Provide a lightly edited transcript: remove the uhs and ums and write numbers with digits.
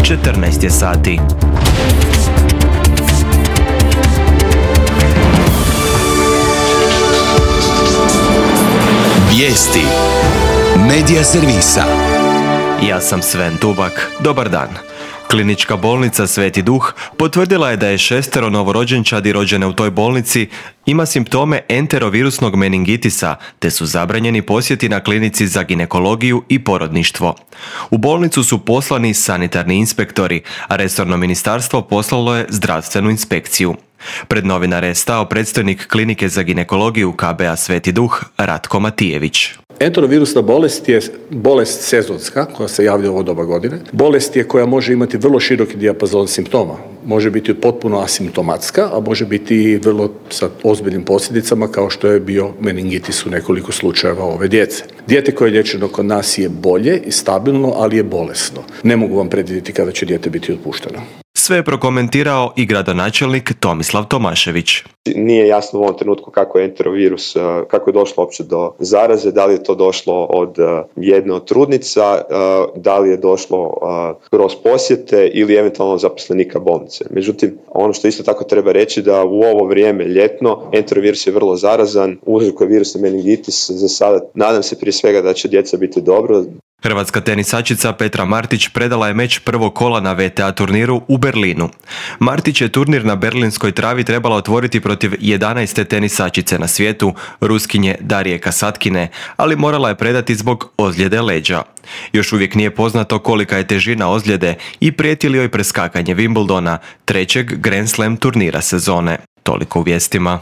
14 je sati. Vijesti Medija servisa. Ja sam Sven Dubak. Dobar dan. Klinička bolnica Sveti Duh potvrdila je da je 6 novorođenčadi rođene u toj bolnici ima simptome enterovirusnog meningitisa, te su zabranjeni posjeti na klinici za ginekologiju i porodništvo. U bolnicu su poslani sanitarni inspektori, a resorno ministarstvo poslalo je zdravstvenu inspekciju. Pred novinare je stao predstojnik klinike za ginekologiju KBA Sveti Duh, Ratko Matijević. Enterovirusna bolest je bolest sezonska koja se javlja u ovo doba godine. Bolest je koja može imati vrlo široki dijapazon simptoma. Može biti potpuno asimptomatska, a može biti i vrlo sa ozbiljnim posljedicama kao što je bio meningitis u nekoliko slučajeva ove djece. Dijete koje je liječeno kod nas je bolje i stabilno, ali je bolesno. Ne mogu vam predvidjeti kada će dijete biti otpušteno. Sve je prokomentirao i gradonačelnik Tomislav Tomašević. Nije jasno u ovom trenutku kako je enterovirus, kako je došlo uopće do zaraze, da li je to došlo od jedne od trudnica, da li je došlo kroz posjete ili eventualno zaposlenika bolnice. Međutim, ono što isto tako treba reći da u ovo vrijeme ljetno enterovirus je vrlo zarazan, uzrokuje virusni meningitis. Za sada nadam se prije svega da će djeca biti dobro. Hrvatska tenisačica Petra Martić predala je meč prvog kola na WTA turniru u Berlinu. Martić je turnir na berlinskoj travi trebala otvoriti protiv 11. tenisačice na svijetu, Ruskinje Darije Kasatkine, ali morala je predati zbog ozljede leđa. Još uvijek nije poznato kolika je težina ozljede i prijeti li joj preskakanje Wimbledona, trećeg Grand Slam turnira sezone. Toliko u vijestima.